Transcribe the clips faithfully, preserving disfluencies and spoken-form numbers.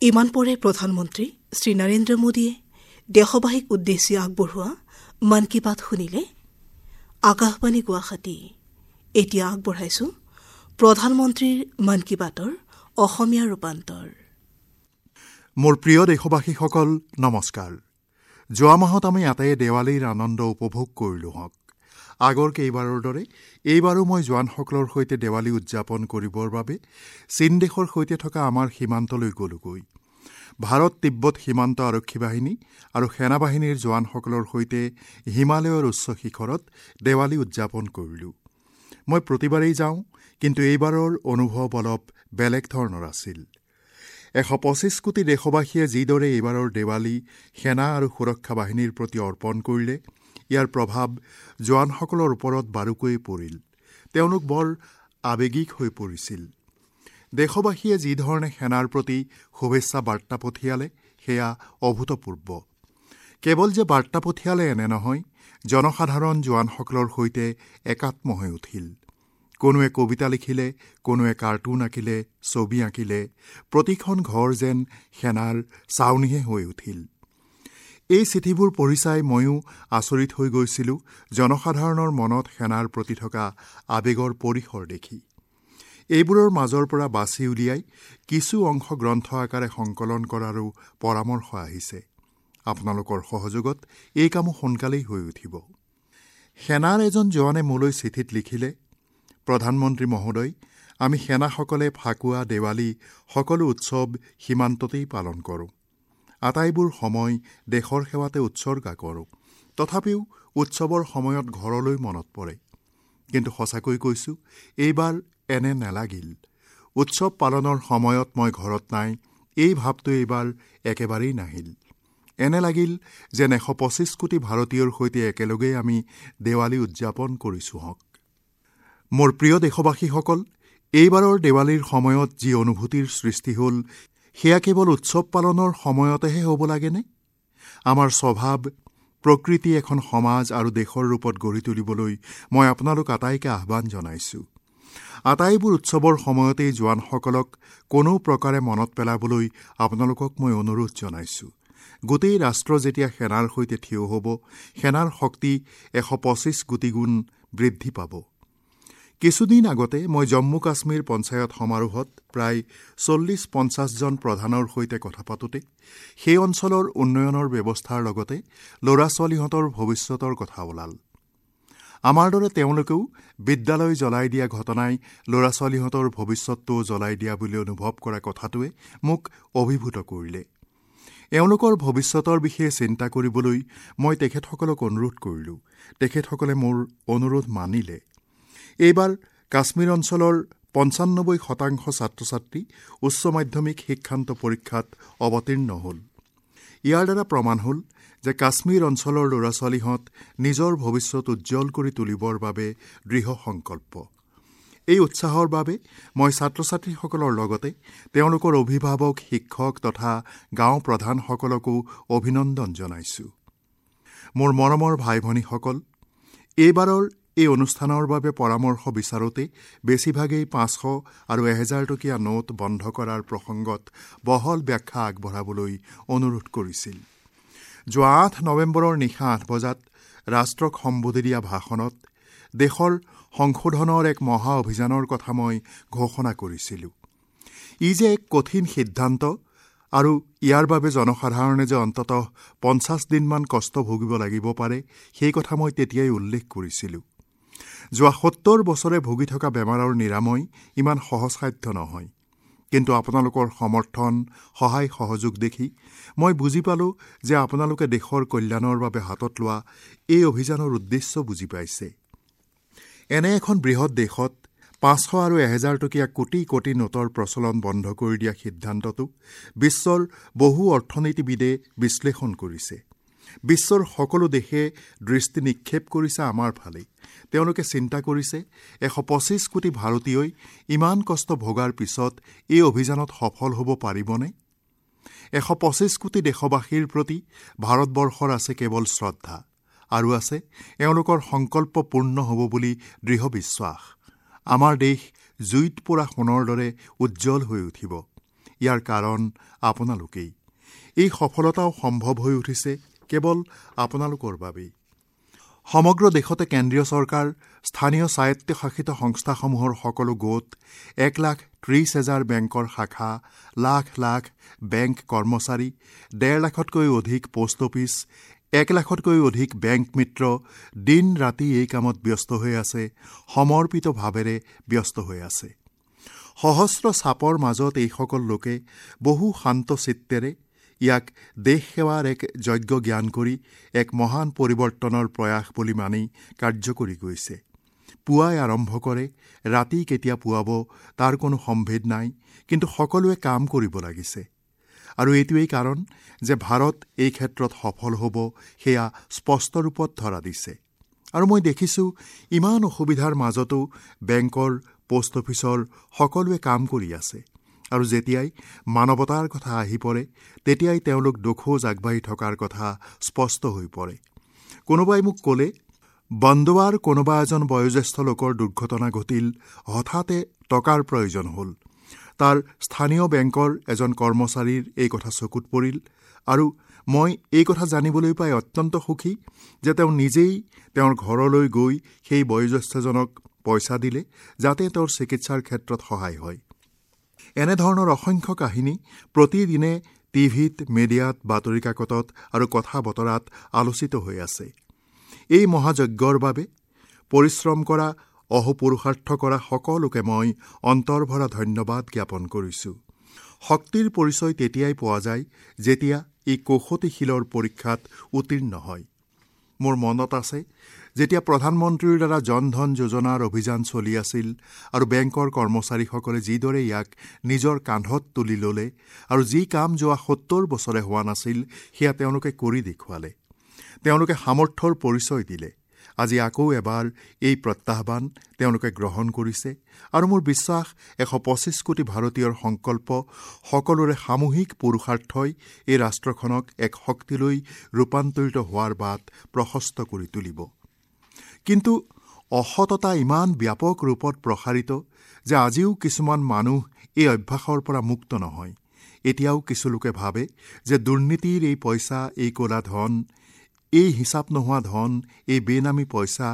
ইমান পৰে প্ৰধানমন্ত্ৰী শ্ৰী নৰেন্দ্ৰ মোদীয়ে দেশবাসীক উদ্দেশ্যি আগবঢ়োৱা মন কী বাত শুনিলে। আকাশবাণী গুৱাহাটী। এতিয়া আগবঢ়াইছো প্ৰধানমন্ত্ৰীৰ মন কী বাতৰ অসমীয়া ৰূপান্তৰ। মোৰ প্ৰিয় দেশবাসীসকল, নমস্কাৰ। যোৱা মাহত আমি আটাইয়ে দেৱালীৰ আনন্দ উপভোগ কৰিলো হওক। আগৰ কেইবাৰৰ দৰে এইবাৰো মই জোৱানসকলৰ সৈতে দেৱালী উদযাপন কৰিবৰ বাবে চীন দেশৰ সৈতে থকা আমাৰ সীমান্তলৈ গ'লোগৈ। ভাৰত তিব্বত সীমান্ত আৰক্ষী বাহিনী আৰু সেনাবাহিনীৰ জোৱানসকলৰ সৈতে হিমালয়ৰ উচ্চ শিখৰত দেৱালী উদযাপন কৰিলোঁ। মই প্ৰতিবাৰেই যাওঁ, কিন্তু এইবাৰৰ অনুভৱ অলপ বেলেগ ধৰণৰ আছিল। এশ পঁচিছ কোটি দেশবাসীয়ে যিদৰে এইবাৰৰ দেৱালী সেনা আৰু সুৰক্ষা বাহিনীৰ প্ৰতি অৰ্পণ কৰিলে, ইয়াৰ প্ৰভাৱ জোৱানসকলৰ ওপৰত বাৰুকৈয়ে পৰিল। তেওঁলোক বৰ আৱেগিক হৈ পৰিছিল। দেশবাসীয়ে যিধৰণে সেনাৰ প্ৰতি শুভেচ্ছা বাৰ্তা পঠিয়ালে সেয়া অভূতপূৰ্ব। কেৱল যে বাৰ্তা পঠিয়ালে এনে নহয়, জনসাধাৰণ জোৱানসকলৰ সৈতে একাত্ম হৈ উঠিল। কোনোৱে কবিতা লিখিলে, কোনোৱে কাৰ্টুন আঁকিলে, ছবি আঁকিলে। প্ৰতিখন ঘৰ যেন সেনাৰ চাউনিহে হৈ উঠিল। এই চিঠিবোৰ পঢ়ি চাই ময়ো আচৰিত হৈ গৈছিলোঁ জনসাধাৰণৰ মনত সেনাৰ প্ৰতি থকা আৱেগৰ পৰিসৰ দেখি। এইবোৰৰ মাজৰ পৰা বাছি উলিয়াই কিছু অংশ গ্ৰন্থ আকাৰে সংকলন কৰাৰো পৰামৰ্শ আহিছে। আপোনালোকৰ সহযোগত এই কামো সোনকালেই হৈ উঠিব। সেনাৰ এজন জোৱানে মোলৈ চিঠিত লিখিলে, প্ৰধানমন্ত্ৰী মহোদয়, আমি সেনাসকলে ফাকুৱা, দেৱালী সকলো উৎসৱ সীমান্ততেই পালন কৰোঁ। আটাইবোৰ সময় দেশৰ সেৱাতে উৎসৰ্গা কৰোঁ। তথাপিও উৎসৱৰ সময়ত ঘৰলৈ মনত পৰে। কিন্তু সঁচাকৈ কৈছোঁ, এইবাৰ এনে নালাগিল। উৎসৱ পালনৰ সময়ত মই ঘৰত নাই, এই ভাৱটো এইবাৰ একেবাৰেই নাহিল। এনে লাগিল যেন এশ পঁচিছ কোটি ভাৰতীয়ৰ সৈতে একেলগেই আমি দেৱালী উদযাপন কৰিছোঁ হওক। মোৰ প্ৰিয় দেশবাসীসকল, এইবাৰৰ দেৱালীৰ সময়ত যি অনুভূতিৰ সৃষ্টি হ'ল, সেয়া কেৱল উৎসৱ পালনৰ সময়তেহে হ'ব লাগেনে? আমাৰ স্বভাৱ, প্ৰকৃতি এখন সমাজ আৰু দেশৰ ৰূপত গঢ়ি তুলিবলৈ মই আপোনালোক আটাইকে আহ্বান জনাইছোঁ। আটাইবোৰ উৎসৱৰ সময়তেই জোৱানসকলক কোনো প্ৰকাৰে মনত পেলাবলৈ আপোনালোকক মই অনুৰোধ জনাইছোঁ। গোটেই ৰাষ্ট্ৰ যেতিয়া সেনাৰ সৈতে থিয় হ'ব, সেনাৰ শক্তি এশ পঁচিছ কোটি গুণ বৃদ্ধি পাব। কিছুদিন আগতে মই জম্মু কাশ্মীৰ পঞ্চায়ত সমাৰোহত প্ৰায় চল্লিছ পঞ্চাছজন প্ৰধানৰ সৈতে কথা পাতোঁতে সেই অঞ্চলৰ উন্নয়নৰ ব্যৱস্থাৰ লগতে ল'ৰা ছোৱালীহঁতৰ ভৱিষ্যতৰ কথা ওলাল। আমাৰ দৰে তেওঁলোকেও বিদ্যালয় জ্বলাই দিয়া ঘটনাই ল'ৰা ছোৱালীহঁতৰ ভৱিষ্যতটোও জ্বলাই দিয়া বুলি অনুভৱ কৰা কথাটোৱে মোক অভিভূত কৰিলে। এওঁলোকৰ ভৱিষ্যতৰ বিষয়ে চিন্তা কৰিবলৈ মই তেখেতসকলক অনুৰোধ কৰিলোঁ। তেখেতসকলে মোৰ অনুৰোধ মানিলে। এইবাৰ কাশ্মীৰ অঞ্চলৰ পঞ্চানব্বৈ শতাংশ ছাত্ৰ ছাত্ৰী উচ্চ মাধ্যমিক শিক্ষান্ত পৰীক্ষাত অৱতীৰ্ণ হ'ল। ইয়াৰ দ্বাৰা প্ৰমাণ হ'ল যে কাশ্মীৰ অঞ্চলৰ ল'ৰা ছোৱালীহঁত নিজৰ ভৱিষ্যত উজ্জ্বল কৰি তুলিবৰ বাবে দৃঢ় সংকল্প। এই উৎসাহৰ বাবে মই ছাত্ৰ ছাত্ৰীসকলৰ লগতে তেওঁলোকৰ অভিভাৱক, শিক্ষক তথা গাঁও প্ৰধানসকলকো অভিনন্দন জনাইছোঁ। মোৰ মৰমৰ ভাই ভনীসকল, এইবাৰৰ এই অনুষ্ঠানৰ বাবে পৰামৰ্শ বিচাৰোঁতে বেছিভাগেই পাঁচশ আৰু এহেজাৰ টকীয়া নোট বন্ধ কৰাৰ প্ৰসংগত বহল ব্যাখ্যা আগবঢ়াবলৈ অনুৰোধ কৰিছিল। যোৱা আঠ নৱেম্বৰৰ নিশা আঠ বজাত ৰাষ্ট্ৰক সম্বোধি দিয়া ভাষণত দেশৰ সংশোধনৰ এক মহা অভিযানৰ কথা মই ঘোষণা কৰিছিলোঁ। ই যে এক কঠিন সিদ্ধান্ত আৰু ইয়াৰ বাবে জনসাধাৰণে যে অন্ততঃ পঞ্চাছ দিনমান কষ্ট ভুগিব লাগিব পাৰে, সেই কথা মই তেতিয়াই উল্লেখ কৰিছিলোঁ। যোৱা সত্তৰ বছৰে ভুগি থকা বেমাৰৰ নিৰাময় ইমান সহজসাধ্য নহয়। কিন্তু আপোনালোকৰ সমৰ্থন, সহায়, সহযোগ দেখি মই বুজি পালোঁ যে আপোনালোকে দেশৰ কল্যাণৰ বাবে হাতত লোৱা এই অভিযানৰ উদ্দেশ্য বুজি পাইছে। এনে এখন বৃহৎ দেশত পাঁচশ আৰু এহেজাৰ টকীয়া কোটি কোটি নোটৰ প্ৰচলন বন্ধ কৰি দিয়া সিদ্ধান্তটো বিশ্বৰ বহু অৰ্থনীতিবিদে বিশ্লেষণ কৰিছে। বিশ্বৰ সকলো দেশে দৃষ্টি নিক্ষেপ কৰিছে আমাৰ ফালে। তেওঁলোকে চিন্তা কৰিছে, এশ পঁচিছ কোটি ভাৰতীয়ই ইমান কষ্ট ভোগাৰ পিছত এই অভিযানত সফল হ'ব পাৰিবনে? এশ পঁচিছ কোটি দেশবাসীৰ প্ৰতি ভাৰতবৰ্ষৰ আছে কেৱল শ্ৰদ্ধা আৰু আছে এওঁলোকৰ সংকল্প পূৰ্ণ হ'ব বুলি দৃঢ় বিশ্বাস। আমাৰ দেশ জুইত পোৰা সোণৰ দৰে উজ্জ্বল হৈ উঠিব। ইয়াৰ কাৰণ আপোনালোকেই। এই সফলতাও সম্ভৱ হৈ উঠিছে কেৱল আপোনালোকৰ বাবেই। সমগ্ৰ দেশতে কেন্দ্ৰীয় চৰকাৰ, স্থানীয় স্বায়ত্তশাসিত সংস্থাসমূহৰ সকলো গোট, এক লাখ ত্ৰিছ হেজাৰ বেংকৰ শাখা, লাখ লাখ বেংক কৰ্মচাৰী, ডেৰ লাখতকৈ অধিক পোষ্ট অফিচ, এক লাখতকৈ অধিক বেংক মিত্ৰ দিন ৰাতি এই কামত ব্যস্ত হৈ আছে, সমৰ্পিত ভাৱেৰে ব্যস্ত হৈ আছে। সহস্ৰ চাপৰ মাজত এইসকল লোকে বহু শান্ত চিত্তেৰে ইয়াক দেশ সেৱাৰ এক যজ্ঞ জ্ঞান কৰি এক মহান পৰিৱৰ্তনৰ প্ৰয়াস বুলি মানি কাৰ্য কৰি গৈছে। পুৱাই আৰম্ভ কৰে, ৰাতি কেতিয়া পুৱাব তাৰ কোনো সম্ভেদ নাই, কিন্তু সকলোৱে কাম কৰিব লাগিছে। আৰু এইটোৱেই কাৰণ যে ভাৰত এই ক্ষেত্ৰত সফল হ'ব সেয়া স্পষ্ট ৰূপত ধৰা দিছে। আৰু মই দেখিছোঁ ইমান অসুবিধাৰ মাজতো বেংকৰ, পোষ্ট অফিচৰ সকলোৱে কাম কৰি আছে। আৰু যেতিয়াই মানৱতাৰ কথা আহি পৰে তেতিয়াই তেওঁলোক দোখোজ আগবাঢ়ি থকাৰ কথা স্পষ্ট হৈ পৰে। কোনোবাই মোক ক'লে, বন্দোৱাৰ কোনোবা এজন বয়োজ্যেষ্ঠ লোকৰ দুৰ্ঘটনা ঘটিল, হঠাতে টকাৰ প্ৰয়োজন হ'ল। তাৰ স্থানীয় বেংকৰ এজন কৰ্মচাৰীৰ এই কথা চকুত পৰিল আৰু মই এই কথা জানিবলৈ পাই অত্যন্ত সুখী যে তেওঁ নিজেই তেওঁৰ ঘৰলৈ গৈ সেই বয়োজ্যেষ্ঠজনক পইচা দিলে, যাতে তেওঁৰ চিকিৎসাৰ ক্ষেত্ৰত সহায় হয়। এনেধৰণৰ অসংখ্য কাহিনী প্ৰতিদিনে টিভিত, মিডিয়াত, বাতৰি কাকতত আৰু কথা বতৰাত আলোচিত হৈ আছে। এই মহাযজ্ঞৰ বাবে পৰিশ্ৰম কৰা, অহোপুৰুষাৰ্থ কৰা সকলোকে মই অন্তৰভৰা ধন্যবাদ জ্ঞাপন কৰিছোঁ। শক্তিৰ পৰিচয় তেতিয়াই পোৱা যায় যেতিয়া ই কৌশতিশীলৰ পৰীক্ষাত উত্তীৰ্ণ হয়। মোৰ মনত আছে যেতিয়া প্ৰধানমন্ত্ৰীৰ দ্বাৰা জন ধন যোজনাৰ অভিযান চলি আছিল আৰু বেংকৰ কৰ্মচাৰীসকলে যিদৰে ইয়াক নিজৰ কান্ধত তুলি ল'লে আৰু যি কাম যোৱা সত্তৰ বছৰে হোৱা নাছিল সেয়া তেওঁলোকে কৰি দেখুৱালে। তেওঁলোকে সামৰ্থ্যৰ পৰিচয় দিলে। আজি আকৌ এবাৰ এই প্ৰত্যাহ্বান তেওঁলোকে গ্ৰহণ কৰিছে আৰু মোৰ বিশ্বাস এশ পঁচিছ কোটি ভাৰতীয়ৰ সংকল্প, সকলোৰে সামূহিক পুৰুষাৰ্থই এই ৰাষ্ট্ৰখনক এক শক্তিলৈ ৰূপান্তৰিত হোৱাৰ বাট প্ৰশস্ত কৰি তুলিব। কিন্তু অসততা ইমান ব্যাপক ৰূপত প্ৰসাৰিত যে আজিও কিছুমান মানুহ এই অভ্যাসৰ পৰা মুক্ত নহয়। এতিয়াও কিছু লোকে ভাবে যে দুৰ্নীতিৰ এই পইচা, এই ক'লা ধন, এই হিচাপ নোহোৱা ধন, এই বেনামী পইচা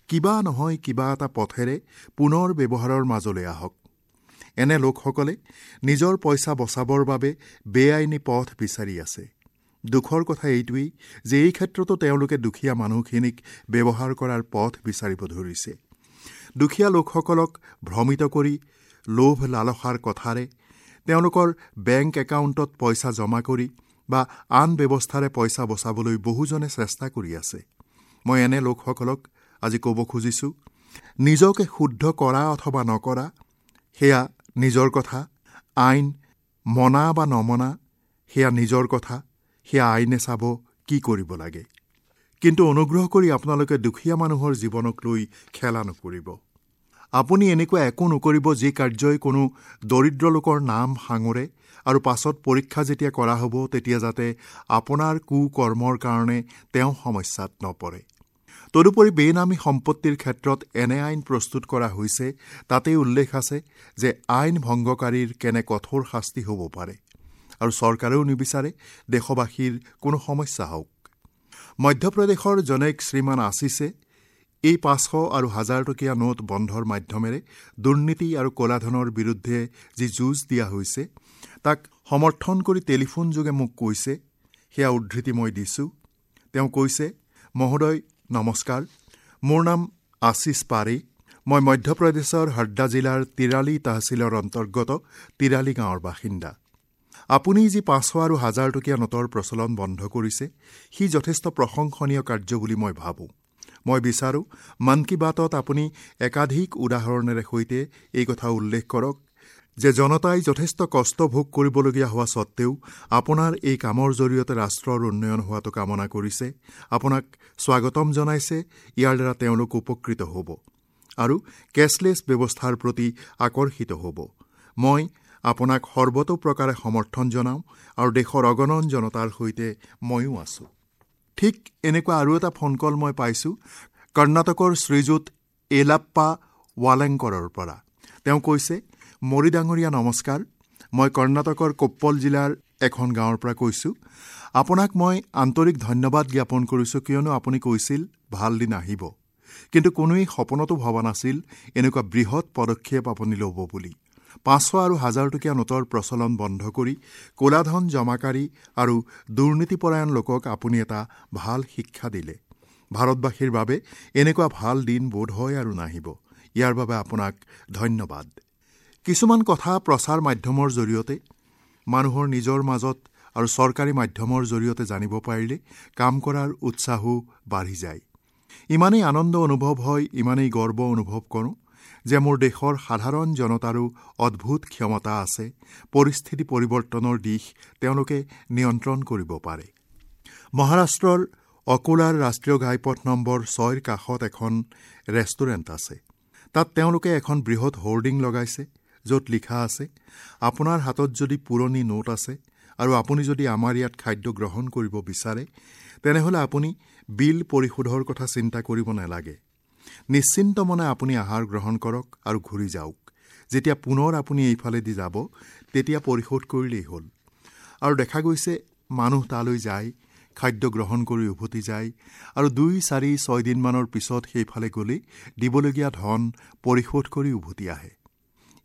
কিবা নহয় কিবা এটা পথেৰে পুনৰ ব্যৱহাৰৰ মাজলৈ আহক। এনে লোকসকলে নিজৰ পইচা বচাবৰ বাবে বেআইনী পথ বিচাৰি আছে। দুখৰ কথা এইটোৱেই যে এই ক্ষেত্ৰতো তেওঁলোকে দুখীয়া মানুহখিনিক ব্যৱহাৰ কৰাৰ পথ বিচাৰিব ধৰিছে। দুখীয়া লোকসকলক ভ্ৰমিত কৰি লোভ লালসাৰ কথাৰে তেওঁলোকৰ বেংক একাউণ্টত পইচা জমা কৰি বা আন ব্যৱস্থাৰে পইচা বচাবলৈ বহুজনে চেষ্টা কৰি আছে। মই এনে লোকসকলক আজি ক'ব খুজিছোঁ, নিজকে শুদ্ধ কৰা অথবা নকৰা সেয়া নিজৰ কথা, আইন মনা বা নমনা সেয়া নিজৰ কথা, সেয়া আইনে চাব কি কৰিব লাগে। কিন্তু অনুগ্ৰহ কৰি আপোনালোকে দুখীয়া মানুহৰ জীৱনক লৈ খেলা নকৰিব। আপুনি এনেকুৱা একো নকৰিব যি কাৰ্যই কোনো দৰিদ্ৰ লোকৰ নাম সাঙুৰে আৰু পাছত পৰীক্ষা যেতিয়া কৰা হ'ব তেতিয়া যাতে আপোনাৰ কুকৰ্মৰ কাৰণে তেওঁ সমস্যাত নপৰে। তদুপৰি বেনামী সম্পত্তিৰ ক্ষেত্ৰত এনে আইন প্ৰস্তুত কৰা হৈছে, তাতেই উল্লেখ আছে যে আইন ভংগকাৰীৰ কেনে কঠোৰ শাস্তি হ'ব পাৰে আৰু চৰকাৰেও নিবিচাৰে দেশবাসীৰ কোনো সমস্যা হওক। মধ্যপ্ৰদেশৰ জনৈক শ্ৰীমান আশিষে এই পাঁচশ আৰু হাজাৰ টকীয়া নোট বন্ধৰ মাধ্যমেৰে দুৰ্নীতি আৰু ক'লাধনৰ বিৰুদ্ধে যি যুঁজ দিয়া হৈছে তাক সমৰ্থন কৰি টেলিফোনযোগে মোক কৈছে, সেয়া উদ্ধৃতি মই দিছোঁ। তেওঁ কৈছে, মহোদয় নমস্কাৰ, মোৰ নাম আশিষ পাৰে, মই মধ্যপ্ৰদেশৰ হৰদা জিলাৰ তিৰালি তহচিলৰ অন্তৰ্গত তিৰালি গাঁৱৰ বাসিন্দা। আপুনি যি পাঁচশ আৰু হাজাৰ টকীয়া নোটৰ প্ৰচলন বন্ধ কৰিছে সি যথেষ্ট প্ৰশংসনীয় কাৰ্য বুলি মই ভাবোঁ। মই বিচাৰোঁ মন কী বাতত আপুনি একাধিক উদাহৰণেৰে সৈতে এই কথা উল্লেখ কৰক যে জনতাই যথেষ্ট কষ্ট ভোগ কৰিবলগীয়া হোৱা সত্ত্বেও আপোনাৰ এই কামৰ জৰিয়তে ৰাষ্ট্ৰৰ উন্নয়ন হোৱাটো কামনা কৰিছে, আপোনাক স্বাগতম জনাইছে, ইয়াৰ দ্বাৰা তেওঁলোক উপকৃত হ'ব আৰু কেছলেছ ব্যৱস্থাৰ প্ৰতি আকৰ্ষিত হ'ব। মই আপোনাক সৰ্বতোপ্ৰকাৰে সমৰ্থন জনাওঁ আৰু দেশৰ অগণন জনতাৰ সৈতে ময়ো আছোঁ। ঠিক এনেকুৱা আৰু এটা ফোন কল মই পাইছোঁ কৰ্ণাটকৰ শ্ৰীযুত এলাপ্পা ৱালেংকৰৰ পৰা। তেওঁ কৈছে, মৰি ডাঙৰীয়া নমস্কাৰ, মই কৰ্ণাটকৰ কোপ্পল জিলাৰ এখন গাঁৱৰ পৰা কৈছোঁ। আপোনাক মই আন্তৰিক ধন্যবাদ জ্ঞাপন কৰিছোঁ, কিয়নো আপুনি কৈছিল ভাল দিন আহিব, কিন্তু কোনোৱেই সপোনতো ভবা নাছিল এনেকুৱা বৃহৎ পদক্ষেপ আপুনি ল'ব বুলি। পাঁচশ আৰু হাজাৰ টকীয়া নোটৰ প্ৰচলন বন্ধ কৰি ক'লাধন জমাকাৰী আৰু দুৰ্নীতিপৰায়ণ লোকক আপুনি এটা ভাল শিক্ষা দিলে। ভাৰতবাসীৰ বাবে এনেকুৱা ভাল দিন বোধ হয় আৰু নাহিব। ইয়াৰ বাবে আপোনাক ধন্যবাদ। কিছুমান কথা প্ৰচাৰ মাধ্যমৰ জৰিয়তে মানুহৰ নিজৰ মাজত আৰু চৰকাৰী মাধ্যমৰ জৰিয়তে জানিব পাৰিলে কাম কৰাৰ উৎসাহো বাঢ়ি যায়। ইমানেই আনন্দ অনুভৱ হয়, ইমানেই গৰ্ব অনুভৱ কৰোঁ যে মোৰ দেশৰ সাধাৰণ জনতাৰো অদ্ভুত ক্ষমতা আছে। পৰিস্থিতি পৰিৱৰ্তনৰ দিশ তেওঁলোকে নিয়ন্ত্ৰণ কৰিব পাৰে। মহাৰাষ্ট্ৰৰ অকোলাৰ ৰাষ্ট্ৰীয় ঘাইপথ নম্বৰ ছয়ৰ কাষত এখন ৰেষ্টুৰেণ্ট আছে। তাত তেওঁলোকে এখন বৃহৎ হোৰ্ডিং লগাইছে, য'ত লিখা আছে, আপোনাৰ হাতত যদি পুৰণি নোট আছে আৰু আপুনি যদি আমাৰ ইয়াত খাদ্য গ্ৰহণ কৰিব বিচাৰে, তেনেহ'লে আপুনি বিল পৰিশোধৰ কথা চিন্তা কৰিব নালাগে। নিশ্চিন্ত মনে আপুনি আহাৰ গ্ৰহণ কৰক আৰু ঘূৰি যাওক। যেতিয়া পুনৰ আপুনি এইফালেদি যাব, তেতিয়া পৰিশোধ কৰিলেই হ'ল। আৰু দেখা গৈছে মানুহ তালৈ যায়, খাদ্য গ্ৰহণ কৰি উভতি যায় আৰু দুই চাৰি ছয়দিনমানৰ পিছত সেইফালে গ'লে দিবলগীয়া ধন পৰিশোধ কৰি উভতি আহে।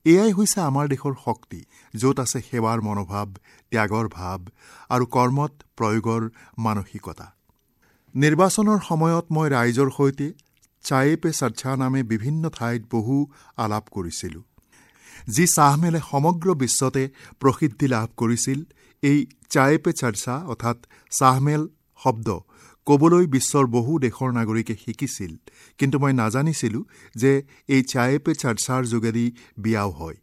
এয়াই হৈছে আমাৰ দেশৰ শক্তি, য'ত আছে সেৱাৰ মনোভাৱ, ত্যাগৰ ভাৱ আৰু কৰ্মত প্ৰয়োগৰ মানসিকতা। নিৰ্বাচনৰ সময়ত মই ৰাইজৰ সৈতে চায়ে পে চৰ্চা নামে বিভিন্ন ঠাইত বহু আলাপ কৰিছিলোঁ। যি চাহমেলে সমগ্ৰ বিশ্বতে প্ৰসিদ্ধি লাভ কৰিছিল, এই চায়ে পে চৰ্চা অৰ্থাৎ চাহমেল শব্দ ক'বলৈ বিশ্বৰ বহু দেশৰ নাগৰিকে শিকিছিল, কিন্তু মই নাজানিছিলোঁ যে এই চায়ে পে চৰ্চাৰ যোগেদি বিয়াও হয়।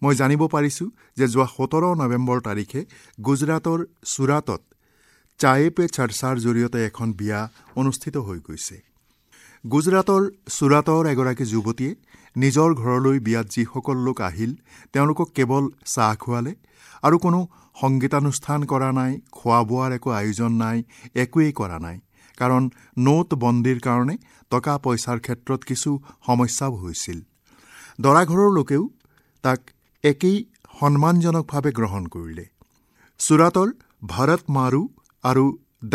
মই জানিব পাৰিছোঁ যে যোৱা সোতৰ নৱেম্বৰ তাৰিখে গুজৰাটৰ চুৰাটত চায়ে পে চৰ্চাৰ জৰিয়তে এখন বিয়া অনুষ্ঠিত হৈ গৈছে। গুজৰাটৰ চুৰাটৰ এগৰাকী যুৱতীয়ে নিজৰ ঘৰলৈ বিয়াত যিসকল লোক আহিল তেওঁলোকক কেৱল চাহ খুৱালে আৰু কোনো সংগীতানুষ্ঠান কৰা নাই, খোৱা বোৱাৰ একো আয়োজন নাই, একোৱেই কৰা নাই। কাৰণ নোটবন্দীৰ কাৰণে টকা পইচাৰ ক্ষেত্ৰত কিছু সমস্যাও হৈছিল। দৰাঘৰৰ লোকেও তাক একেই সন্মানজনকভাৱে গ্ৰহণ কৰিলে। চুৰাটৰ ভাৰত মাৰু আৰু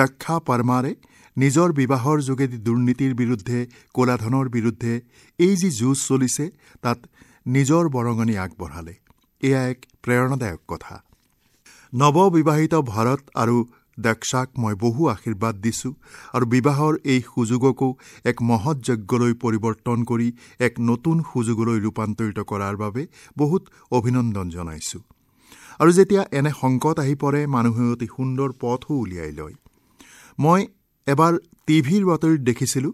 দক্ষা পৰমাৰে নিজৰ বিবাহৰ যোগেদি দুৰ্নীতিৰ বিৰুদ্ধে, ক'লাধনৰ বিৰুদ্ধে এই যি যুঁজ চলিছে তাত নিজৰ বৰঙণি আগবঢ়ালে। এয়া এক প্ৰেৰণাদায়ক কথা। নৱবিবাহিত ভাৰত আৰু দক্ষাক মই বহু আশীৰ্বাদ দিছোঁ আৰু বিবাহৰ এই সুযোগকো এক মহৎ যজ্ঞলৈ পৰিৱৰ্তন কৰি এক নতুন সুযোগলৈ ৰূপান্তৰিত কৰাৰ বাবে বহুত অভিনন্দন জনাইছোঁ। আৰু যেতিয়া এনে সংকট আহি পৰে, মানুহে অতি সুন্দৰ পথো উলিয়াই লয়। মই এবাৰ টিভিৰ বাতৰিত দেখিছিলোঁ,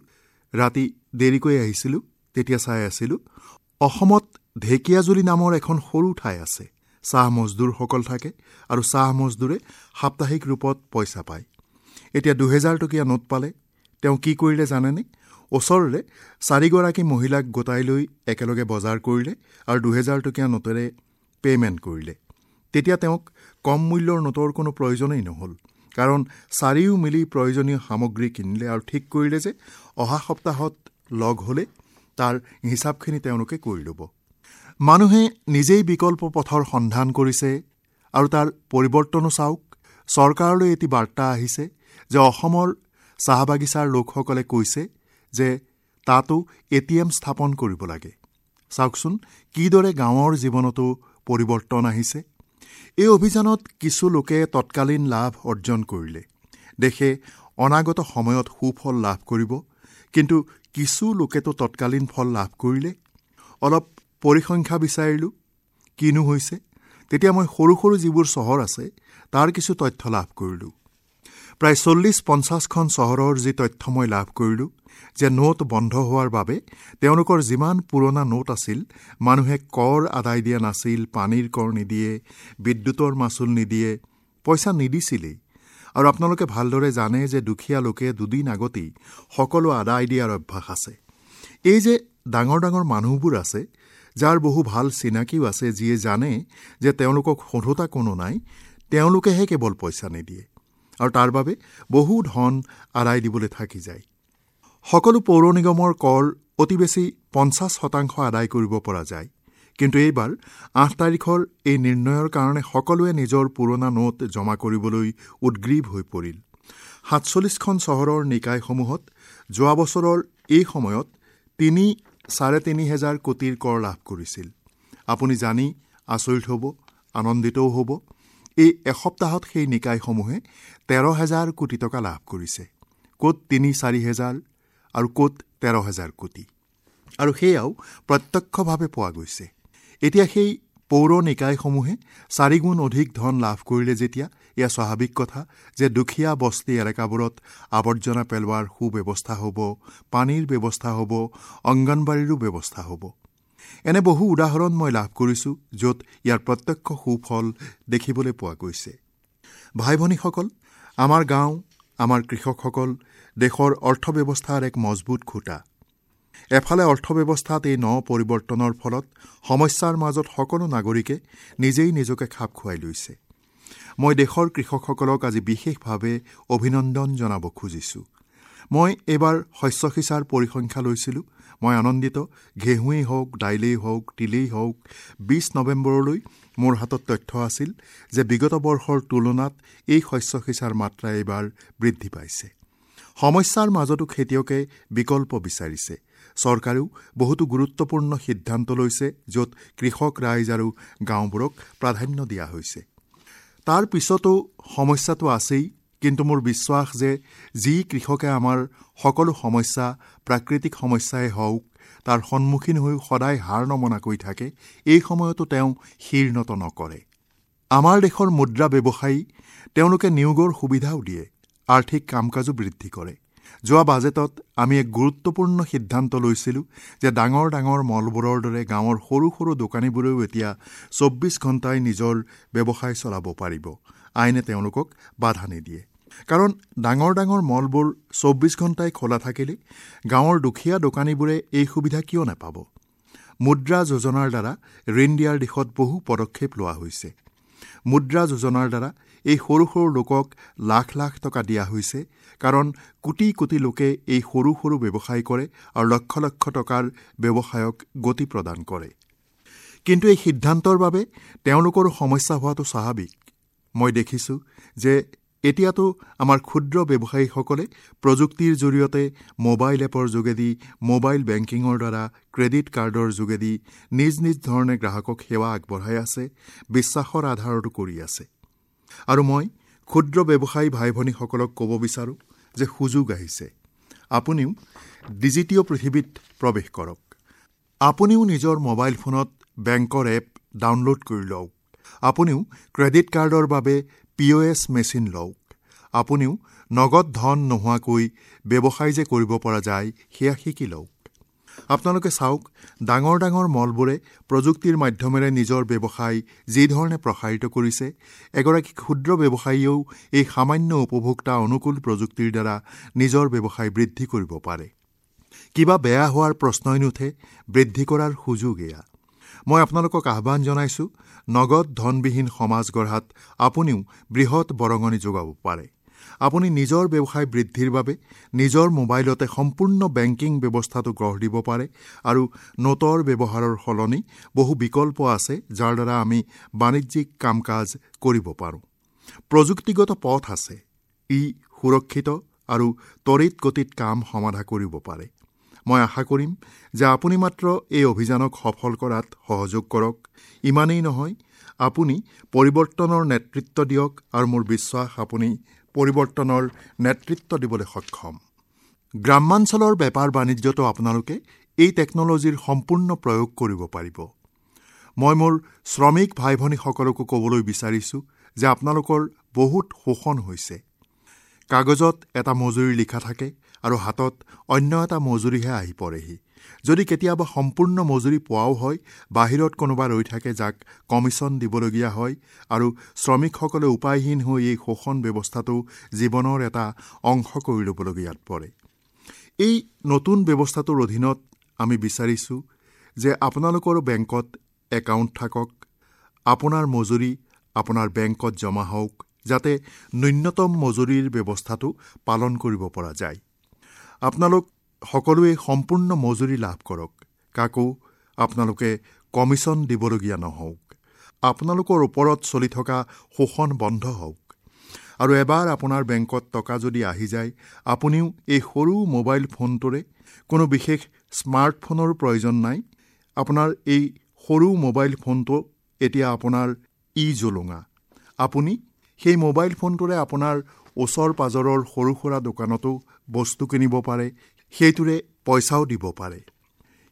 ৰাতি দেৰিকৈ আহিছিলোঁ, তেতিয়া চাই আছিলোঁ, অসমত ঢেকীয়াজুলি নামৰ এখন সৰু ঠাই আছে। চাহ মজদুৰসকল থাকে আৰু চাহ মজদুৰে সাপ্তাহিক ৰূপত পইচা পায়। এতিয়া দুহেজাৰ টকীয়া নোট পালে তেওঁ কি কৰিলে জানেনে? ওচৰৰে চাৰিগৰাকী মহিলাক গোটাই লৈ একেলগে বজাৰ কৰিলে আৰু দুহেজাৰ টকীয়া নোটেৰে পে'মেণ্ট কৰিলে। তেতিয়া তেওঁক কম মূল্যৰ নোটৰ কোনো প্ৰয়োজনেই নহ'ল, কাৰণ চাৰিও মিলি প্ৰয়োজনীয় সামগ্ৰী কিনিলে আৰু ঠিক কৰিলে যে অহা সপ্তাহত লগ হ'লে তাৰ হিচাপখিনি তেওঁলোকে কৰি ল'ব। মানুহে নিজেই বিকল্প পথৰ সন্ধান কৰিছে আৰু তাৰ পৰিৱৰ্তনো চাওক। চৰকাৰলৈ এটি বাৰ্তা আহিছে যে অসমৰ চাহ বাগিচাৰ লোকসকলে কৈছে যে তাতো এ টি এম স্থাপন কৰিব লাগে। চাওকচোন কিদৰে গাঁৱৰ জীৱনতো পৰিৱৰ্তন আহিছে। এই অভিযানত কিছু লোকে তৎকালীন লাভ অৰ্জন কৰিলে, দেশে অনাগত সময়ত সুফল লাভ কৰিব, কিন্তু কিছু লোকেতো তৎকালীন ফল লাভ কৰিলে। অলপ পৰিসংখ্যা বিচাৰিলোঁ কিনো হৈছে, তেতিয়া মই সৰু সৰু যিবোৰ চহৰ আছে তাৰ কিছু তথ্য লাভ কৰিলোঁ। প্ৰায় চল্লিছ পঞ্চাছখন চহৰৰ যি তথ্য মই লাভ কৰিলোঁ যে নোট বন্ধ হোৱাৰ বাবে তেওঁলোকৰ যিমান পুৰণা নোট আছিল, মানুহে কৰ আদায় দিয়া নাছিল, পানীৰ কৰ নিদিয়ে, বিদ্যুতৰ মাচুল নিদিয়ে, পইচা নিদিছিলেই। আৰু আপোনালোকে ভালদৰে জানে যে দুখীয়া লোকে দুদিন আগতেই সকলো আদায় দিয়াৰ অভ্যাস আছে। এই যে ডাঙৰ ডাঙৰ মানুহবোৰ আছে, যাৰ বহু ভাল চিনাকিও আছে, যিয়ে জানে যে তেওঁলোকক সোধোতা কোনো নাই, তেওঁলোকেহে কেৱল পইচা নিদিয়ে আৰু তাৰ বাবে বহু ধন আদায় দিবলৈ থাকি যায়। সকলো পৌৰ নিগমৰ কৰ অতি বেছি পঞ্চাছ শতাংশ আদায় কৰিব পৰা যায়, কিন্তু এইবাৰ আঠ তাৰিখৰ এই নিৰ্ণয়ৰ কাৰণে সকলোৱে নিজৰ পুৰণা নোট জমা কৰিবলৈ উদ্গ্ৰীৱ হৈ পৰিল। সাতচল্লিছখন চহৰৰ নিকায়সমূহত যোৱা বছৰৰ এই সময়ত তিনি চাৰে তিনি হেজাৰ কোটিৰ কৰ লাভ কৰিছিল। আপুনি জানি আচৰিত হ'ব, আনন্দিতও হ'ব, এই এসপ্তাহত সেই নিকায়সমূহে তেৰ হেজাৰ কোটি টকা লাভ কৰিছে। ক'ত তিনি চাৰি হেজাৰ আৰু ক'ত তেৰ হেজাৰ কোটি, আৰু সেয়াও প্ৰত্যক্ষভাৱে পোৱা গৈছে। এতিয়া সেই পৌৰ নিকায়সমূহে চাৰিগুণ অধিক ধন লাভ কৰিলে যেতিয়া এয়া স্বাভাৱিক কথা যে দুখীয়া বস্তি এলেকাবোৰত আৱৰ্জনা পেলোৱাৰ সুব্যৱস্থা হ'ব, পানীৰ ব্যৱস্থা হ'ব, অংগনবাড়ীৰো ব্যৱস্থা হ'ব। এনে বহু উদাহৰণ মই লাভ কৰিছোঁ য'ত ইয়াৰ প্ৰত্যক্ষ সুফল দেখিবলৈ পোৱা গৈছে। ভাই ভনীসকল, আমাৰ গাঁও, আমাৰ কৃষকসকল দেশৰ অৰ্থব্যৱস্থাৰ এক মজবুত খুঁটা। এফালে অৰ্থব্যৱস্থাত এই ন পৰিৱৰ্তনৰ ফলত সমস্যাৰ মাজত সকলো নাগৰিকে নিজেই নিজকে খাপ খুৱাই লৈছে। মই দেশৰ কৃষকসকলক আজি বিশেষভাৱে অভিনন্দন জনাব খুজিছোঁ। মই এইবাৰ শস্য সিঁচাৰ পৰিসংখ্যা লৈছিলোঁ। মই আনন্দিত, ঘেঁহুৱেই হওক, দাইলেই হওক, তিলেই হওক, বিছ নৱেম্বৰলৈ মোৰ হাতত তথ্য আছিল যে বিগত বৰ্ষৰ তুলনাত এই শস্য সিঁচাৰ মাত্ৰা এইবাৰ বৃদ্ধি পাইছে। সমস্যাৰ মাজতো খেতিয়কে বিকল্প বিচাৰিছে। চৰকাৰেও বহুতো গুৰুত্বপূৰ্ণ সিদ্ধান্ত লৈছে য'ত কৃষক ৰাইজ আৰু গাঁওবোৰক প্ৰাধান্য দিয়া হৈছে। তাৰ পিছতো সমস্যাটো আছেই, কিন্তু মোৰ বিশ্বাস যে যি কৃষকে আমাৰ সকলো সমস্যা, প্ৰাকৃতিক সমস্যাই হওক, তাৰ সন্মুখীন হৈ সদায় হাৰ নমনাকৈ থাকে, এই সময়তো তেওঁ শিৰ নত নকৰে। আমাৰ দেশৰ মুদ্ৰা ব্যৱসায়ী, তেওঁলোকে নিয়োগৰ সুবিধাও দিয়ে, আৰ্থিক কাম কাজো বৃদ্ধি কৰে। যোৱা বাজেটত আমি এক গুৰুত্বপূৰ্ণ সিদ্ধান্ত লৈছিলোঁ যে ডাঙৰ ডাঙৰ মলবোৰৰ দৰে গাঁৱৰ সৰু সৰু দোকানীবোৰেও এতিয়া চৌব্বিছ ঘণ্টাই নিজৰ ব্যৱসায় চলাব পাৰিব। আইনে তেওঁলোকক বাধা নিদিয়ে, কাৰণ ডাঙৰ ডাঙৰ মলবোৰ চৌব্বিছ ঘণ্টাই খোলা থাকিলে গাঁৱৰ দুখীয়া দোকানীবোৰে এই সুবিধা কিয় নাপাব? মুদ্ৰা যোজনাৰ দ্বাৰা ঋণ দিয়াৰ দিশত বহু পদক্ষেপ লোৱা হৈছে। মুদ্ৰা যোজনাৰ দ্বাৰা এই সৰু সৰু লোকক লাখ লাখ টকা দিয়া হৈছে, কাৰণ কোটি কোটি লোকে এই সৰু সৰু ব্যৱসায় কৰে আৰু লক্ষ লক্ষ টকাৰ ব্যৱসায়ক গতি প্ৰদান কৰে। কিন্তু এই সিদ্ধান্তৰ বাবে তেওঁলোকৰো সমস্যা হোৱাটো স্বাভাৱিক। মই দেখিছোঁ যে এতিয়াতো আমাৰ ক্ষুদ্ৰ ব্যৱসায়ীসকলে প্ৰযুক্তিৰ জৰিয়তে মোবাইল এপৰ যোগেদি, মোবাইল বেংকিঙৰ দ্বাৰা, ক্ৰেডিট কাৰ্ডৰ যোগেদি নিজ নিজ ধৰণে গ্ৰাহকক সেৱা আগবঢ়াই আছে, বিশ্বাসৰ আধাৰতো কৰি আছে। আৰু মই ক্ষুদ্ৰ ব্যৱসায়ী ভাই ভনীসকলক ক'ব বিচাৰোঁ যে সুযোগ আহিছে, আপুনিও ডিজিটীয় পৃথিৱীত প্ৰৱেশ কৰক। আপুনিও নিজৰ মোবাইল ফোনত বেংকৰ এপ ডাউনলোড কৰি লওক, আপুনিও ক্ৰেডিট কাৰ্ডৰ বাবে পি অ' এছ মেচিন লওক, আপুনিও নগদ ধন নোহোৱাকৈ ব্যৱসায় যে কৰিব পৰা যায় সেয়া শিকি লওক। আপোনালোকে চাওক, ডাঙৰ ডাঙৰ মলবোৰে প্ৰযুক্তিৰ মাধ্যমেৰে নিজৰ ব্যৱসায় যিধৰণে প্ৰসাৰিত কৰিছে, এগৰাকী ক্ষুদ্ৰ ব্যৱসায়ীয়েও এই সামান্য উপভোক্তা অনুকূল প্ৰযুক্তিৰ দ্বাৰা নিজৰ ব্যৱসায় বৃদ্ধি কৰিব পাৰে। কিবা বেয়া হোৱাৰ প্ৰশ্নই নুঠে, বৃদ্ধি কৰাৰ সুযোগ এয়া। মই আপোনালোকক আহ্বান জনাইছোঁ, নগদ ধনবিহীন সমাজ গঢ়াত আপুনিও বৃহৎ বৰঙণি যোগাব পাৰে। আপুনি নিজৰ ব্যৱসায় বৃদ্ধিৰ বাবে নিজৰ মোবাইলতে সম্পূৰ্ণ বেংকিং ব্যৱস্থাটো গঢ় দিব পাৰে আৰু নোটৰ ব্যৱহাৰৰ সলনি বহু বিকল্প আছে যাৰ দ্বাৰা আমি বাণিজ্যিক কাম কাজ কৰিব পাৰোঁ। প্ৰযুক্তিগত পথ আছে, ই সুৰক্ষিত আৰু তড়িৎ গতিত কাম সমাধা কৰিব পাৰে। মই আশা কৰিম যে আপুনি মাত্ৰ এই অভিযানক সফল কৰাত সহযোগ কৰক, ইমানেই নহয়, আপুনি পৰিৱৰ্তনৰ নেতৃত্ব দিয়ক আৰু মোৰ বিশ্বাস আপুনি পৰিৱৰ্তনৰ নেতৃত্ব দিবলৈ সক্ষম। গ্ৰাম্যাঞ্চলৰ বেপাৰ বাণিজ্যতো আপোনালোকে এই টেকন'লজিৰ সম্পূৰ্ণ প্ৰয়োগ কৰিব পাৰিব। মই মোৰ শ্ৰমিক ভাই ভনীসকলকো ক'বলৈ বিচাৰিছোঁ যে আপোনালোকৰ বহুত শোষণ হৈছে। কাগজত এটা মজুৰি লিখা থাকে আৰু হাতত অন্য এটা মজুৰিহে আহি পৰেহি। যদি কেতিয়াবা সম্পূৰ্ণ মজুৰি পোৱাও হয়, বাহিৰত কোনোবা ৰৈ থাকে যাক কমিশ্যন দিবলগীয়া হয় আৰু শ্ৰমিকসকলে উপায়হীন হৈ এই শোষণ ব্যৱস্থাটো জীৱনৰ এটা অংশ কৰি ল'বলগীয়াত পৰে। এই নতুন ব্যৱস্থাটোৰ অধীনত আমি বিচাৰিছোঁ যে আপোনালোকৰো বেংকত একাউণ্ট থাকক, আপোনাৰ মজুৰি আপোনাৰ বেংকত জমা হওক, যাতে ন্যূনতম মজুৰিৰ ব্যৱস্থাটো পালন কৰিব পৰা যায়। আপোনালোক সকলোৱে সম্পূৰ্ণ মজুৰি লাভ কৰক, কাকো আপোনালোকে কমিশ্যন দিবলগীয়া নহওক, আপোনালোকৰ ওপৰত চলি থকা শোষণ বন্ধ হওক। আৰু এবাৰ আপোনাৰ বেংকত টকা যদি আহি যায়, আপুনিও এই সৰু মোবাইল ফোনটোৰে, কোনো বিশেষ স্মাৰ্টফোনৰ প্ৰয়োজন নাই, আপোনাৰ এই সৰু মোবাইল ফোনটো এতিয়া আপোনাৰ ই জোলোঙা। আপুনি সেই মোবাইল ফোনটোৰে আপোনাৰ ওচৰ পাজৰৰ সৰু সুৰা দোকানতো বস্তু কিনিব পাৰে, সেইটোৰে পইচাও দিব পাৰে।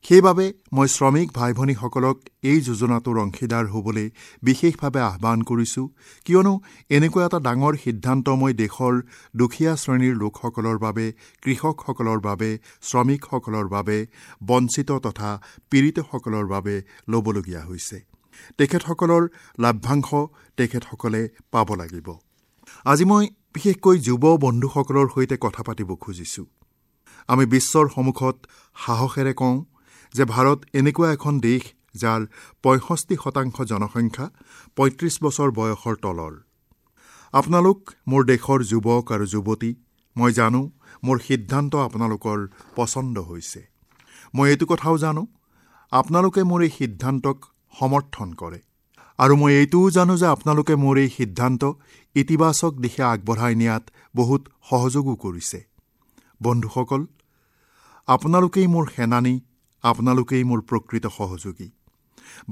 সেইবাবে মই শ্ৰমিক ভাই ভনীসকলক এই যোজনাটোৰ অংশীদাৰ হ'বলৈ বিশেষভাৱে আহ্বান কৰিছোঁ, কিয়নো এনেকুৱা এটা ডাঙৰ সিদ্ধান্ত মই দেশৰ দুখীয়া শ্ৰেণীৰ লোকসকলৰ বাবে, কৃষকসকলৰ বাবে, শ্ৰমিকসকলৰ বাবে, বঞ্চিত তথা পীড়িতসকলৰ বাবে ল'বলগীয়া হৈছে। তেখেতসকলৰ লাভাংশ তেখেতসকলে পাব লাগিব। আজি মই বিশেষকৈ যুৱ বন্ধুসকলৰ সৈতে কথা পাতিব খুজিছোঁ। আমি বিশ্বৰ সন্মুখত সাহসেৰে কওঁ যে ভাৰত এনেকুৱা এখন দেশ যাৰ পঁয়ষষ্ঠি শতাংশ জনসংখ্যা পঁয়ত্ৰিছ বছৰ বয়সৰ তলৰ। আপোনালোক মোৰ দেশৰ যুৱক আৰু যুৱতী, মই জানো মোৰ সিদ্ধান্ত আপোনালোকৰ পচন্দ হৈছে। মই এইটো কথাও জানো আপোনালোকে মোৰ এই সিদ্ধান্তক সমৰ্থন কৰে, আৰু মই এইটোও জানো যে আপোনালোকে মোৰ এই সিদ্ধান্ত ইতিবাচক দিশে আগবঢ়াই নিয়াত বহুত সহযোগো কৰিছে। বন্ধুসকল, আপোনালোকেই মোৰ সেনানী, আপোনালোকেই মোৰ প্ৰকৃত সহযোগী।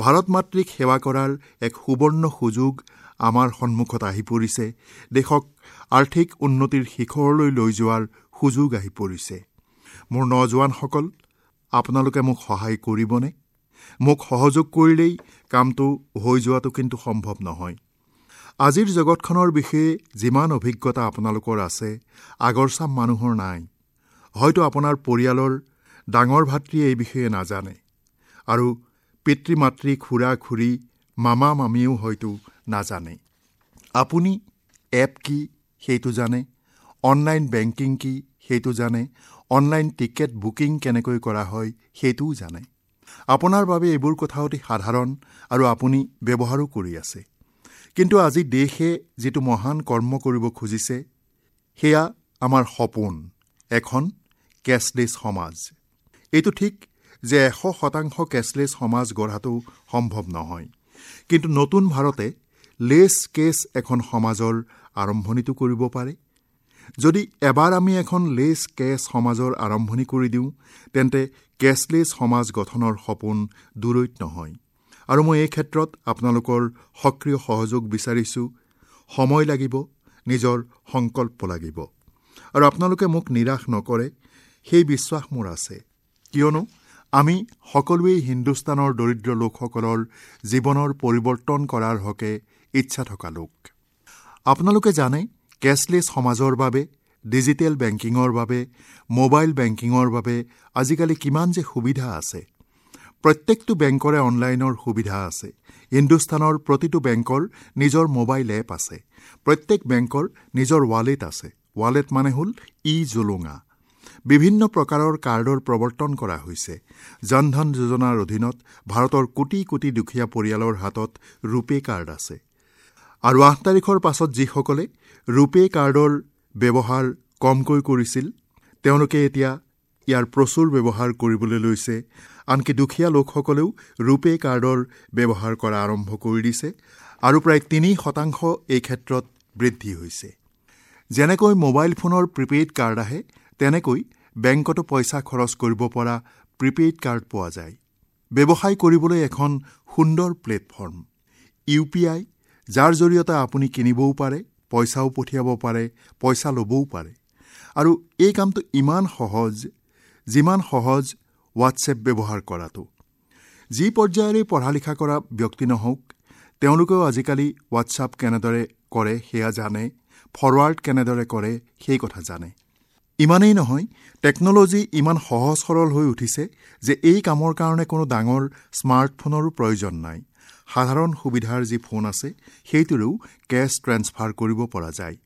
ভাৰত মাতৃক সেৱা কৰাৰ এক সুবৰ্ণ সুযোগ আমাৰ সন্মুখত আহি পৰিছে। দেশক আৰ্থিক উন্নতিৰ শিখৰলৈ লৈ যোৱাৰ সুযোগ আহি পৰিছে। মোৰ নজোৱানসকল, আপোনালোকে মোক সহায় কৰিবনে? মোক সহযোগ কৰিলেই কামটো হৈ যোৱাটো কিন্তু সম্ভৱ নহয়। আজিৰ জগতখনৰ বিষয়ে যিমান অভিজ্ঞতা আপোনালোকৰ আছে, আগৰ চাম মানুহৰ নাই। হয়তো আপোনাৰ পৰিয়ালৰ ডাঙৰ ভাতৃয়ে এই বিষয়ে নাজানে, আৰু পিতৃ মাতৃ, খুৰা খুৰী, মামা মামীও হয়তো নাজানে। আপুনি এপ কি সেইটো জানে, অনলাইন বেংকিং কি সেইটো জানে, অনলাইন টিকেট বুকিং কেনেকৈ কৰা হয় সেইটোও জানে। আপোনাৰ বাবে এইবোৰ কথা অতি সাধাৰণ আৰু আপুনি ব্যৱহাৰো কৰি আছে। কিন্তু আজি দেশে যিটো মহান কৰ্ম কৰিব খুজিছে, সেয়া আমাৰ সপোন, এখন কেছলেছ সমাজ। এইটো ঠিক যে এশ শতাংশ কেছলেছ সমাজ গঢ়াটো সম্ভৱ নহয়, কিন্তু নতুন ভাৰতে লেছ কেছ এখন সমাজৰ আৰম্ভণিটো কৰিব পাৰে। যদি এবাৰ আমি এখন লেছ কেছ সমাজৰ আৰম্ভণি কৰি দিওঁ, তেন্তে কেছলেছ সমাজ গঠনৰ সপোন দূৰৈত নহয়। আৰু মই এই ক্ষেত্ৰত আপোনালোকৰ সক্ৰিয় সহযোগ বিচাৰিছোঁ। সময় লাগিব, নিজৰ সংকল্প লাগিব, আৰু আপোনালোকে মোক নিৰাশ নকৰে সেই বিশ্বাস মোৰ আছে। কিয়নো আমি সকলোৱেই হিন্দুস্তানৰ দৰিদ্ৰ লোকসকলৰ জীৱনৰ পৰিৱৰ্তন কৰাৰ হকে ইচ্ছা থকা লোক। আপোনালোকে জানে, কেছলেছ সমাজৰ বাবে, ডিজিটেল বেংকিঙৰ বাবে, মোবাইল বেংকিঙৰ বাবে আজিকালি কিমান যে সুবিধা আছে। প্ৰত্যেকটো বেংকৰে অনলাইনৰ সুবিধা আছে। হিন্দুস্তানৰ প্ৰতিটো বেংকৰ নিজৰ মোবাইল এপ আছে। প্ৰত্যেক বেংকৰ নিজৰ ৱালেট আছে। ৱালেট মানে হ'ল ই জোলোঙা। বিভিন্ন প্ৰকাৰৰ কাৰ্ডৰ প্ৰৱৰ্তন কৰা হৈছে। জনধন যোজনাৰ অধীনত ভাৰতৰ কোটি কোটি দুখীয়া পৰিয়ালৰ হাতত ৰূপে কাৰ্ড আছে। আৰু আঠ তাৰিখৰ পাছত যিসকলে ৰূপে কাৰ্ডৰ ব্যৱহাৰ কমকৈ কৰিছিল, তেওঁলোকে এতিয়া ইয়াৰ প্ৰচুৰ ব্যৱহাৰ কৰিবলৈ লৈছে। আনকি দুখীয়া লোকসকলেও ৰূপে কাৰ্ডৰ ব্যৱহাৰ কৰা আৰম্ভ কৰি দিছে, আৰু প্ৰায় তিনি শতাংশ এই ক্ষেত্ৰত বৃদ্ধি হৈছে। যেনেকৈ মোবাইল ফোনৰ প্ৰিপেইড কাৰ্ড আহে, তেনেকৈ বেংকতো পইচা খৰচ কৰিব পৰা প্ৰিপেইড কাৰ্ড পোৱা যায়। ব্যৱসায় কৰিবলৈ এখন সুন্দৰ প্লেটফৰ্ম ইউ পি আই, যাৰ জৰিয়তে আপুনি কিনিবও পাৰে, পইচাও পঠিয়াব পাৰে, পইচা ল'বও পাৰে। আৰু এই কামটো ইমান সহজ, যিমান সহজ হোৱাটছএপ ব্যৱহাৰ কৰাটো। যি পৰ্যায়ৰে পঢ়া লিখা কৰা ব্যক্তি নহওক, তেওঁলোকেও আজিকালি হোৱাটছআপ কেনেদৰে কৰে সেয়া জানে, ফৰৱাৰ্ড কেনেদৰে কৰে সেই কথা জানে। ইমানেই নহয়, টেকন'লজি ইমান সহজ সৰল হৈ উঠিছে যে এই কামৰ কাৰণে কোনো ডাঙৰ স্মাৰ্টফোনৰো প্ৰয়োজন নাই। সাধাৰণ সুবিধাৰ যি ফোন আছে, সেইটোৰেও কেছ ট্ৰেন্সফাৰ কৰিব পৰা যায়।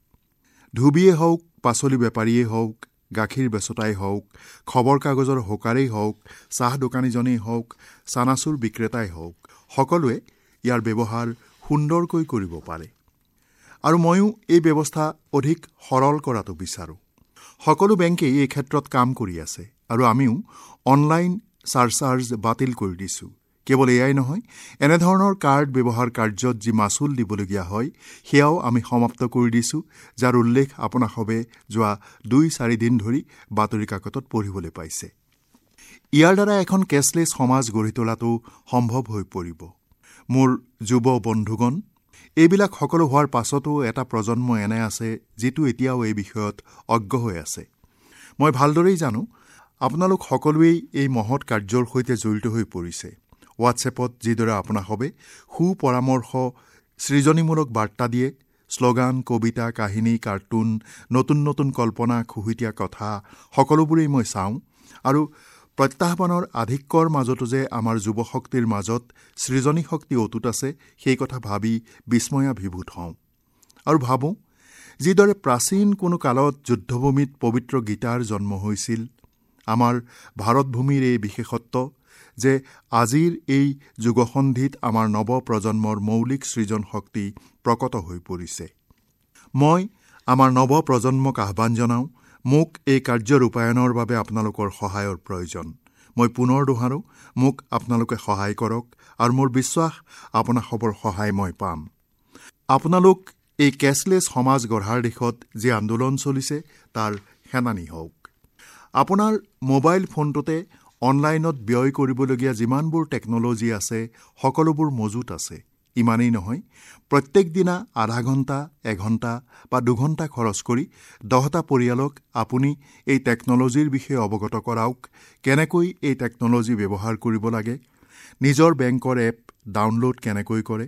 ধুবিয়ে হওক, পাচলি বেপাৰীয়েই হওক, গাখীৰ বেচোতাই হওক, খবৰ কাগজৰ হকাৰেই হওক, চাহ দোকানীজনেই হওক, চানাচুৰ বিক্ৰেতাই হওক, সকলোৱে ইয়াৰ ব্যৱহাৰ সুন্দৰকৈ কৰিব পাৰে। আৰু ময়ো এই ব্যৱস্থা অধিক সৰল কৰাটো বিচাৰোঁ। সকলো বেংকেই এই ক্ষেত্ৰত কাম কৰি আছে, আৰু আমিও অনলাইন চাৰচাৰ্জ বাতিল কৰি দিছোঁ। কেৱল এয়াই নহয়, এনেধৰণৰ কাৰ্ড ব্যৱহাৰ কাৰ্যত যি মাচুল দিবলগীয়া হয় সেয়াও আমি সমাপ্ত কৰি দিছোঁ, যাৰ উল্লেখ আপোনাসৱে যোৱা দুই চাৰিদিন ধৰি বাতৰি কাকতত পঢ়িবলৈ পাইছে। ইয়াৰ দ্বাৰা এখন কেছলেছ সমাজ গঢ়ি তোলাটো সম্ভৱ হৈ পৰিব। মোৰ যুৱ বন্ধুগণ, এইবিলাক সকলো হোৱাৰ পাছতো এটা প্ৰজন্ম এনে আছে যিটো এতিয়াও এই বিষয়ত অজ্ঞ হৈ আছে। মই ভালদৰেই জানো আপোনালোক সকলোৱেই এই মহৎ কাৰ্যৰ সৈতে জড়িত হৈ পৰিছে। হোৱাটছএপত যিদৰে আপোনাসৱে সুপৰামৰ্শ, সৃজনীমূলক বাৰ্তা দিয়ে, শ্লোগান, কবিতা, কাহিনী, কাৰ্টুন, নতুন নতুন কল্পনা, খুহুতীয়া কথা, সকলোবোৰেই মই চাওঁ। আৰু প্ৰত্যাহ্বানৰ আধিক্যৰ মাজতো যে আমাৰ যুৱশক্তিৰ মাজত সৃজনী শক্তি অটুট আছে, সেই কথা ভাবি বিস্ময়াভিভূত হওঁ। আৰু ভাবোঁ, যিদৰে প্ৰাচীন কোনো কালত যুদ্ধভূমিত পবিত্ৰ গীতাৰ জন্ম হৈছিল, আমাৰ ভাৰতভূমিৰ এই বিশেষত্ব যে আজিৰ এই যুগসন্ধিত আমাৰ নৱপ্ৰজন্মৰ মৌলিক সৃজন শক্তি প্ৰকট হৈ পৰিছে। মই আমাৰ নৱপ্ৰজন্মক আহ্বান জনাওঁ, মোক এই কাৰ্য ৰূপায়ণৰ বাবে আপোনালোকৰ সহায়ৰ প্ৰয়োজন। মই পুনৰ দোহাৰোঁ, মোক আপোনালোকে সহায় কৰক আৰু মোৰ বিশ্বাস আপোনাসৱৰ সহায় মই পাম। আপোনালোক এই কেছলেছ সমাজ গঢ়াৰ দিশত যি আন্দোলন চলিছে তাৰ সেনানী হওক। আপোনাৰ মোবাইল ফোনটোতে অনলাইনত ব্যয় কৰিবলগীয়া যিমানবোৰ টেকন'লজি আছে সকলোবোৰ মজুত আছে। ইমানেই নহয়, প্ৰত্যেক দিনা আধা ঘণ্টা, এঘণ্টা বা দুঘণ্টা খৰচ কৰি দহটা পৰিয়ালক আপুনি এই টেকন'লজিৰ বিষয়ে অৱগত কৰাওক, কেনেকৈ এই টেকন'লজি ব্যৱহাৰ কৰিব লাগে, নিজৰ বেংকৰ এপ ডাউনলোড কেনেকৈ কৰে,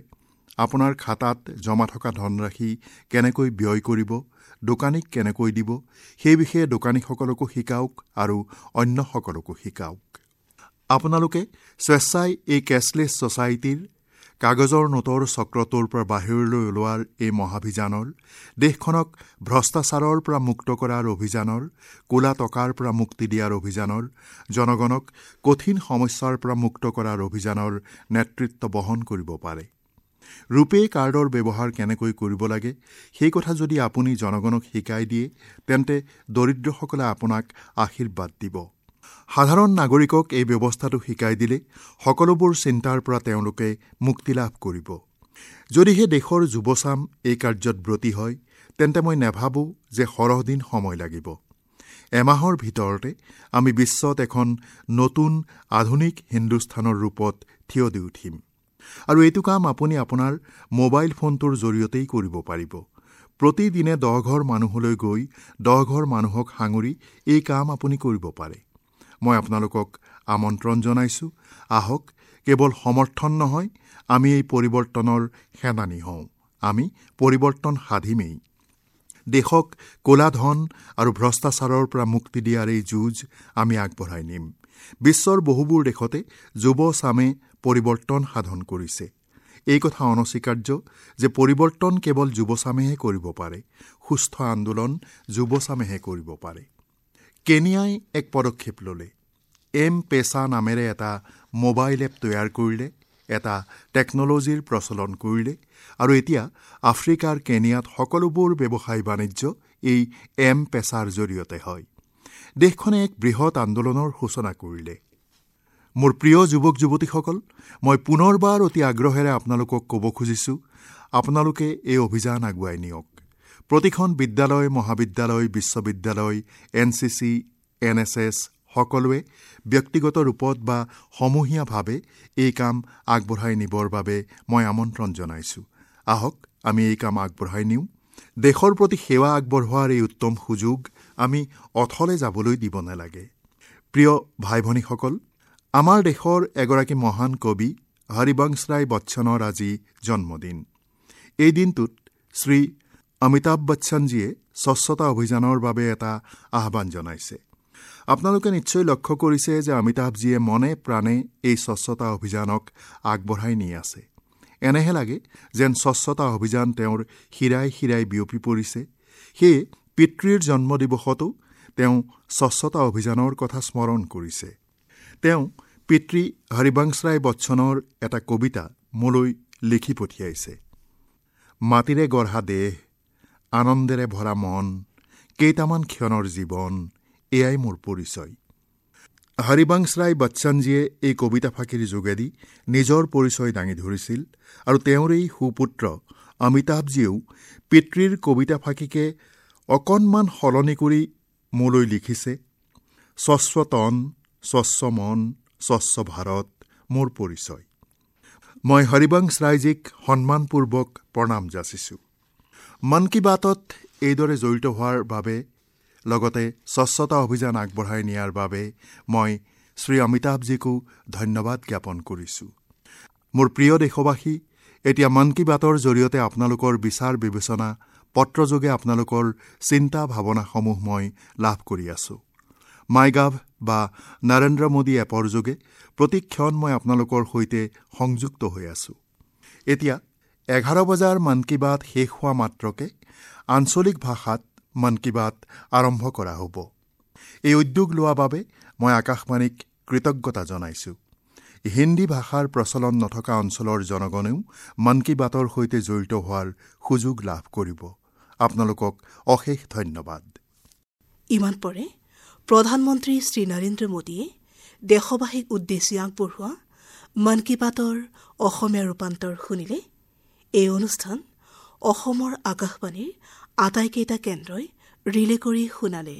আপোনাৰ খাতাত জমা থকা ধনৰাশি কেনেকৈ ব্যয় কৰিব, দোকানীক কেনেকৈ দিব, সেই বিষয়ে দোকানীসকলকো শিকাওক আৰু অন্যসকলকো শিকাওক। আপোনালোকে স্বেচ্ছাই এই কেছলেছ ছ'চাইটিৰ কাগজৰ নোটৰ চক্ৰটোৰ পৰা বাহিৰলৈ ওলোৱাৰ এই মহাভিযানৰ, দেশখনক ভ্ৰষ্টাচাৰৰ পৰা মুক্ত কৰাৰ অভিযানৰ, ক'লা টকাৰ পৰা মুক্তি দিয়াৰ অভিযানৰ, জনগণক কঠিন সমস্যাৰ পৰা মুক্ত কৰাৰ অভিযানৰ নেতৃত্ব বহন কৰিব পাৰে। ৰূপে কাৰ্ডৰ ব্যৱহাৰ কেনেকৈ কৰিব লাগে সেই কথা যদি আপুনি জনগণক শিকাই দিয়ে, তেন্তে দৰিদ্ৰসকলে আপোনাক আশীৰ্বাদ দিব। সাধাৰণ নাগৰিকক এই ব্যৱস্থাটো শিকাই দিলে সকলোবোৰ চিন্তাৰ পৰা তেওঁলোকে মুক্তি লাভ কৰিব। যদিহে দেশৰ যুৱচাম এই কাৰ্যত ব্ৰতী হয়, তেন্তে মই নাভাবোঁ যে সৰহ দিন সময় লাগিব। এমাহৰ ভিতৰতে আমি বিশ্বত এখন নতুন আধুনিক হিন্দুস্থানৰ ৰূপত থিয় দি উঠিম। আৰু এইটো কাম আপুনি আপোনাৰ মোবাইল ফোনটোৰ জৰিয়তেই কৰিব পাৰিব। প্ৰতিদিনে দহঘৰ মানুহলৈ গৈ দহঘৰ মানুহক সাঙুৰি এই কাম আপুনি কৰিব পাৰে। মই আপোনালোকক আমন্ত্ৰণ জনাইছোঁ, আহক কেৱল সমৰ্থন নহয়, আমি এই পৰিৱৰ্তনৰ সেনানী হওঁ। আমি পৰিৱৰ্তন সাধিমেই। দেশক ক'লা ধন আৰু ভ্ৰষ্টাচাৰৰ পৰা মুক্তি দিয়াৰ এই যুঁজ আমি আগবঢ়াই নিম। বিশ্বৰ বহুবোৰ দেশতে যুৱচামে পৰিৱৰ্তন সাধন কৰিছে। এই কথা অনস্বীকাৰ্য যে পৰিৱৰ্তন কেৱল যুৱচামেহে কৰিব পাৰে, সুস্থ আন্দোলন যুৱচামেহে কৰিব পাৰে। কেনিয়াই এক পদক্ষেপ ল'লে। এম পেচা নামেৰে এটা মোবাইল এপ তৈয়াৰ কৰিলে, এটা টেকন'লজিৰ প্ৰচলন কৰিলে আৰু এতিয়া আফ্ৰিকাৰ কেনিয়াত সকলোবোৰ ব্যৱসায় বাণিজ্য এই এম পেচাৰ জৰিয়তে হয়। দেশখনে এক বৃহৎ আন্দোলনৰ সূচনা কৰিলে। মোৰ প্ৰিয় যুৱক যুৱতীসকল, মই পুনৰবাৰ অতি আগ্ৰহেৰে আপোনালোকক ক'ব খুজিছোঁ, আপোনালোকে এই অভিযান আগুৱাই নিয়ক। প্ৰতিখন বিদ্যালয়, মহাবিদ্যালয়, বিশ্ববিদ্যালয়, N C C, N S S সকলোৱে ব্যক্তিগত ৰূপত বা সমূহীয়াভাৱে এই কাম আগবঢ়াই নিবৰ বাবে মই আমন্ত্ৰণ জনাইছোঁ। আহক আমি এই কাম আগবঢ়াই নিওঁ। দেশৰ প্ৰতি সেৱা আগবঢ়োৱাৰ এই উত্তম সুযোগ আমি অথলে যাবলৈ দিব নালাগে। প্ৰিয় ভাই ভনীসকল, আমাৰ দেশৰ এগৰাকী মহান কবি হৰিবংশ ৰায় বচ্চনৰ আজি জন্মদিন। এই দিনটোত শ্ৰী অমিতাভ বচ্চনজীয়ে স্বচ্ছতা অভিযানৰ বাবে এটা আহ্বান জনাইছে। আপোনালোকে নিশ্চয় লক্ষ্য কৰিছে যে অমিতাভজীয়ে মনে প্ৰাণে এই স্বচ্ছতা অভিযানক আগবঢ়াই নি আছে। এনেহে লাগে যেন স্বচ্ছতা অভিযান তেওঁৰ শিৰাই শিৰাই বিয়পি পৰিছে। সেয়ে পিতৃৰ জন্মদিৱসতো তেওঁ স্বচ্ছতা অভিযানৰ কথা স্মৰণ কৰিছে। তেওঁ পিতৃ হৰিবংশ ৰায় বচ্চনৰ এটা কবিতা মোলৈ লিখি পঠিয়াইছে। মাটিৰে গঢ়া দেহ, আনন্দেৰে ভৰা মন, কেইটামান ক্ষণৰ জীৱন, এয়াই মোৰ পৰিচয়। হৰিবংশ ৰায় বচ্চনজীয়ে এই কবিতা ফাঁকিৰ যোগেদি নিজৰ পৰিচয় দাঙি ধৰিছিল আৰু তেওঁৰেই সুপুত্ৰ অমিতাভজীয়েও পিতৃৰ কবিতা ফাঁকিকে অকণমান সলনি কৰি মোলৈ লিখিছে, স্বচ্ছ তন, স্বচ্ছ মন, স্বচ্ছ ভাৰত মোৰ পৰিচয়। মই হৰিবংশ ৰায়জীক সন্মানপূৰ্বক প্ৰণাম যাচিছোঁ। মন কী বাতত এইদৰে জড়িত হোৱাৰ বাবে, লগতে স্বচ্ছতা অভিযান আগবঢ়াই নিয়াৰ বাবে মই শ্ৰী অমিতাভজীকো ধন্যবাদ জ্ঞাপন কৰিছোঁ। মোৰ প্ৰিয় দেশবাসী, এতিয়া মন কী বাতৰ জৰিয়তে আপোনালোকৰ বিচাৰ বিবেচনা, পত্ৰযোগে আপোনালোকৰ চিন্তা ভাৱনাসমূহ মই লাভ কৰি আছোঁ। মাই গাভ বা নৰেন্দ্ৰ মোদী এপৰ যোগে প্ৰতিক্ষণ মই আপোনালোকৰ সৈতে সংযুক্ত হৈ আছোঁ। এতিয়া এঘাৰ বজাৰ মন কী বাত শেষ হোৱা মাত্ৰকে আঞ্চলিক ভাষাত মন কী বাত আৰম্ভ কৰা হ'ব। এই উদ্যোগ লোৱাৰ বাবে মই আকাশবাণীক কৃতজ্ঞতা জনাইছোঁ। হিন্দী ভাষাৰ প্ৰচলন নথকা অঞ্চলৰ জনগণেও মন কী বাতৰ সৈতে জড়িত হোৱাৰ সুযোগ লাভ কৰিব। আপোনালোকক অশেষ ধন্যবাদ। ইমান পৰে প্ৰধানমন্ত্ৰী শ্ৰী নৰেন্দ্ৰ মোদীয়ে দেশবাসীক উদ্দেশ্যি আগবঢ়োৱা মন কী বাতৰ অসমীয়া ৰূপান্তৰ শুনিলে। এই অনুষ্ঠান অসমৰ আকাশবাণীৰ আটাইকেইটা কেন্দ্ৰই ৰিলে কৰি শুনালে।